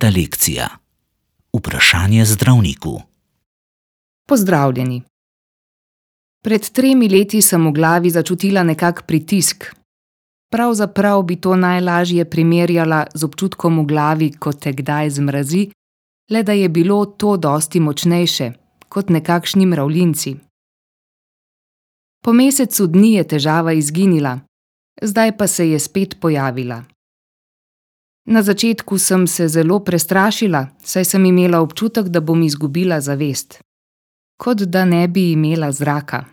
Deveta lekcija. Vprašanje zdravniku. Pozdravljeni. Pred 3 leti sem v glavi začutila nekak pritisk. Pravzaprav bi to najlažje primerjala z občutkom v glavi, ko te kdaj zmrazi, le da je bilo to dosti močnejše, kot nekakšni mravljinci. Po mesecu dni je težava izginila, zdaj pa se je spet pojavila. Na začetku sem se zelo prestrašila, saj sem imela občutek, da bom izgubila zavest. Kot da ne bi imela zraka.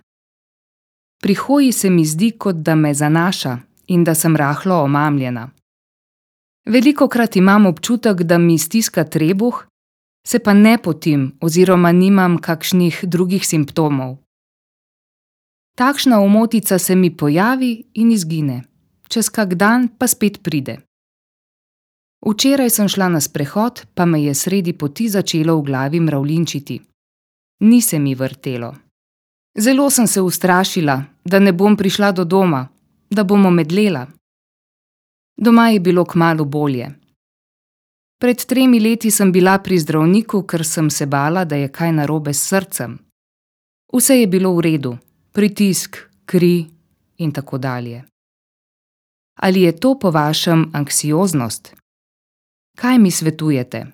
Pri hoji se mi zdi, kot da me zanaša in da sem rahlo omamljena. Velikokrat imam občutek, da mi stiska trebuh, se pa ne potim oziroma nimam kakšnih drugih simptomov. Takšna omotica se mi pojavi in izgine, čez kak dan pa spet pride. Včeraj sem šla na sprehod, pa me je sredi poti začelo v glavi mravljinčiti. Ni se mi vrtelo. Zelo sem se ustrašila, da ne bom prišla do doma, da bom omedlela. Doma je bilo kmalu bolje. Pred 3 leti sem bila pri zdravniku, ker sem se bala, da je kaj narobe s srcem. Vse je bilo v redu, pritisk, kri in tako dalje. Ali je to po vašem anksioznost? Kaj mi svetujete?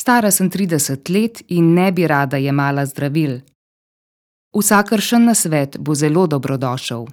Stara sem 30 let in ne bi rada jemala zdravil. Vsakršen nasvet bo zelo dobrodošel.